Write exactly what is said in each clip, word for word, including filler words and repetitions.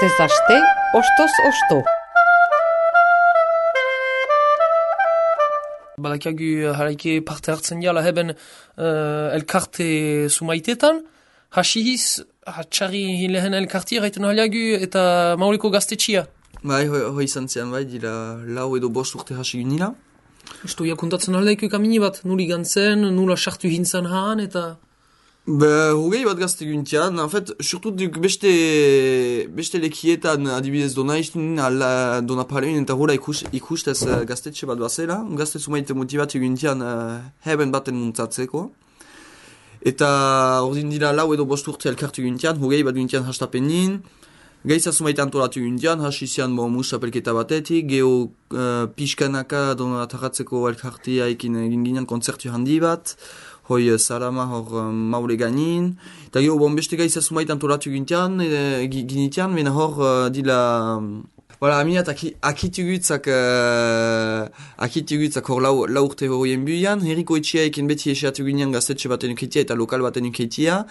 Astez aste, ostoz osto. Badakagu haraike parte hartzen diala heben uh, elkarte sumaitetan. Hasihiz, hatxarri lehen elkarti erraiten haliagu eta mauriko gaztetxia. Bai, hoi, hoi izan zian, bai, dira lau edo bost urte hasi ginila. Esto ja kontatzen aldaiko kamini bat, nuli gantzen, nula sartu hintzan haan eta... Be, hogei bat gazte guntian, en fait, surtout duk beste, beste lekietan adibidez dona iztun, ala dona paleun eta hula ikus, ikustez uh, gaztetxe bat bazela, gazte sumaite motivatu guntian uh, heben baten muntzatzeko. Eta ordin dira lau edo bost urte elkartu guntian, hogei bat guntian hastapenin, gaitza sumaite antolatu guntian, hasi zian bo musapelketa batetik, geho uh, pixkanaka dona ataratzeko elkartia ekin egin ginen kontzertu handi bat, hoi salama hor uh, maule gainin, eta geho bon beste gaitza sumaite antolatu guntian, e, ginitian, mena hor uh, dila... Voilà, aminat akitugutzak uh, akitugutzak hor lau, lau urte horien buian, herriko etxea ekin beti eseatu ginean gaztetxe baten uketia eta lokal baten uketia,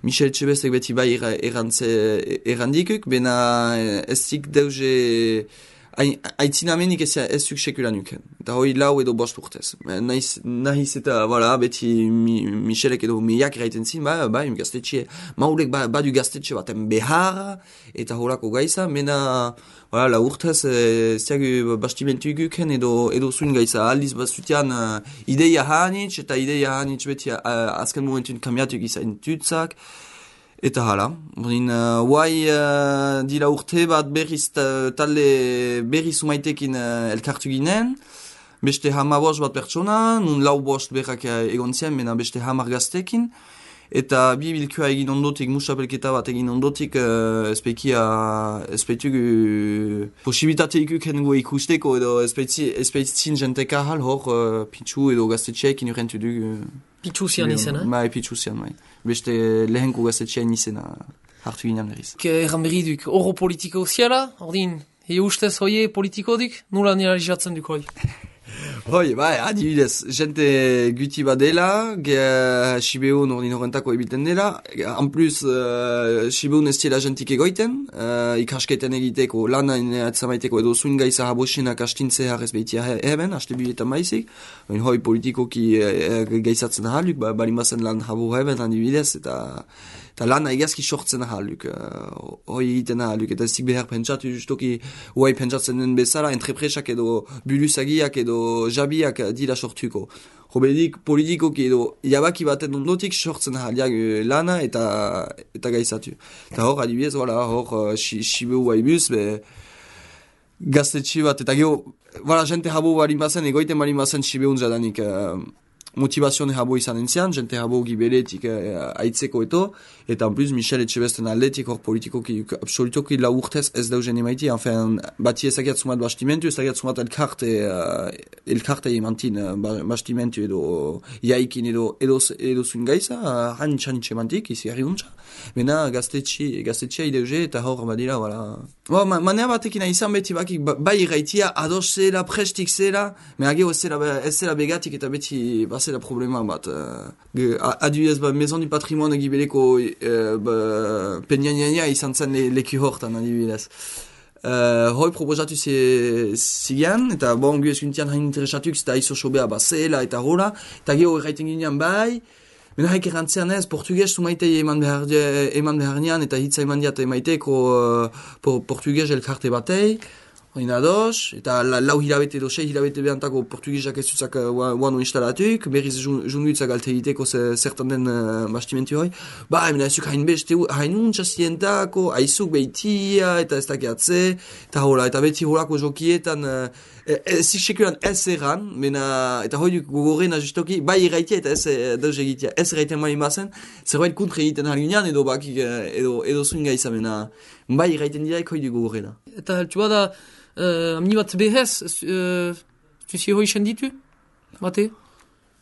Michel Txebestek beti bai errandikuk, bena ez zik deuze aitzinamenik ez, ez zuk sekulan uken. Eta hoi lau edo bost urtez. Nahiz, nahiz eta, voilà, beti mi, Michelek edo miak eraiten zin, ba, ba, gaztetxe, maulek ba, badu gaztetxe baten behar, eta horako gaiza, mena, voilà, la urtez, e, ziagu bastimentu iguken edo, edo zuen gaiza, aldiz bazutian uh, ideia hanitz, eta ideia hanitz beti uh, azken momentun kambiatu gizain tutzak, eta hala, ordin, uh, guai uh, dira urte bat berriz talde berriz umaitekin uh, elkartu ginen, beste hamar bost bat pertsona, nun lau bost berrak uh, egon zien, mena beste hamar gaztekin, eta bi bilkua egin ondotik, musapelketa bat egin ondotik, uh, espeikia, espeitugu posibilitate ikuken gu ikusteko, edo espeitzin jenteka hal hor, uh, pitzu edo gaztetxeekin urentu dugu. Pitzu zian izena? Bai, pitzu zian, bai. Beste lehenko gaztetxean izena hartu ginen berriz. Erran berri duk, oro politiko ziala, ordin, e ustez hoie politiko duk, nula nira lizatzen duk hoi? Hoi, bai, adibidez, jente guti badela, ge Sibeun ordin horrentako ebiten dela, en plus, uh, Sibeun ez tiela jentik egoiten, uh, ikasketen egiteko, lana atzamaiteko edo zuin gaiza habosenak astintze harrez behitia heben, haste biletan maizik, hoi politikoki uh, gaizatzen ahaluk, ba, balimbazen lan habo heben adibidez, eta eta lana egazki sortzen ahaluk, uh, hoi egiten ahaluk, eta zik behar pentsatu justoki huai pentsatzen den bezala, entrepresak edo buluzagiak edo jabiak dira sortuko. Hobedik politikoki edo jabaki baten ondotik sortzen ahaliak lana eta eta gaizatu. Eta hor, adibidez, voilà, hor, uh, Sibeu haibuz, be, gaztetxe bat, eta geho, voilà, jente habo barin bazen, egoiten barin bazen Sibeun jadanik, uh, motivazione habo izan entzian, jente habo gibeletik uh, aitzeko eto, eta en plus Michel Etxebesten aldetik hor politikoki absolutoki lau urtez ez dauzen emaiti, enfin, bati ezagiat sumat bastimentu, ezagiat sumat elkarte, uh, elkarte emantin uh, bastimentu edo jaikin edo edo, edo zuen gaiza, uh, hanitz hanitz emantik, izi harri untza. Bena gaztetxia gaztetxia ideuze eta hor badira, voilà. Ba, ma, manea batekin izan beti bakik, ba, bai irraitia ados zela, prestik zela, me ageo ez zela, ez zela begatik eta beti bazela problema bat. Uh, adibidez, ba, Maison du Patrimoine egibeleko uh, ba, penjaniania izan zen le, leku hortan adibidez. Uh, hoi proposatu zigan, eta bon, gu eskuntian hain interesatuk, eta iso sobea bazela eta hola, eta geho erraiten ginean bai, mena haik errantzean ez, portugez sumaitei eman behar, eman behar nian, eta hitza eman diat emaiteko uh, portugez elkarte batei, hori ados, eta la, lau hilabete edo sei hilabete behantako portugizak ez duzak uh, uano instalatuk, berriz junduitzak alte egiteko zertan den uh, bastimentu hori. Ba, emena ezuk hain beste, hain untsa zientako, haizuk behitia, eta ez dakiatze, eta hola, eta beti holako jokietan, uh, ez sekulan ez erran, mena, eta hori gogorrena justoki, bai irraitia eta ez dauz egitea, ez erraiten mali mazen, zerbait kontre egiten halgunean, edo bakik, edo, edo zuen gaiza, mena, bai irraiten diraik hori gogorrena. Eta heltu bada, Uh, amni bat behez, uh, tuzi hoi senditu, bate?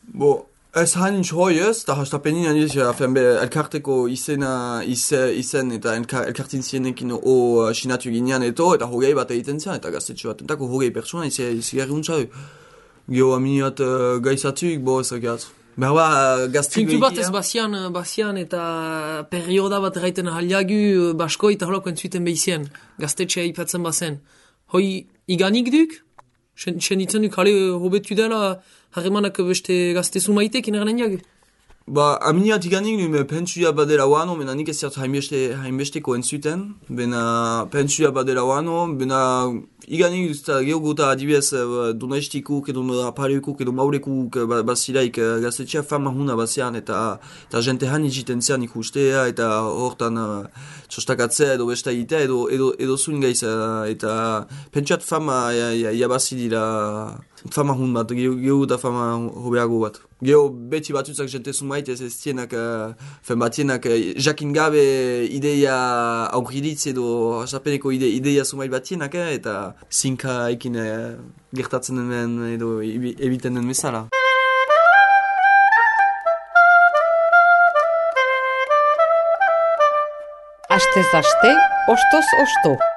Bo, ez hanin hoi ez, eta hastapenin handiz, elkarteko izena, izen, izen eta elkartin zienekin o uh, sinatu ginean eto, eta hogei bat egiten zian, eta gaztetxo bat, entako hogei pertsona, izi garri untza. Gio amni bat uh, gaizatuk, bo ez agat. Behar, gaztik Puntu bat ez bazian, bazian eta perioda bat erraiten haliagu basko eta holako entzuten behizien. Gaztetxea ipatzen bazen. Hoi iganik duk? Sen, sen ditzen duk, hale, hobetu dela harremanak beste gaztezu maitek inerren jagu? Ba, aminiat iganik nume pentsuia badela wano, bena nik ez zert hainbeste, hainbesteko entzuten, bena pentsuia badela wano, bena iganik duzta geoguta adibidez donaistikuk edo apareukuk edo maurekuk basilaik gaztetxea fama huna bazian eta eta jente han egiten zean ikustea eta hortan uh, txostakatzea edo besta egitea edo, edo, edo zuen gaiz uh, eta pentsuat fama jabazi dira fama hun bat, geoguta fama hobeago bat. Geo beti batzutzak jente zumait ez ez tienak, uh, fen batienak uh, jakin gabe ideia aurriditz edo asapeneko ide, ideia zumait batienak eh, eta zinka ekin eh, gertatzen den edo ebiten den bezala. Astez aste, ostoz osto.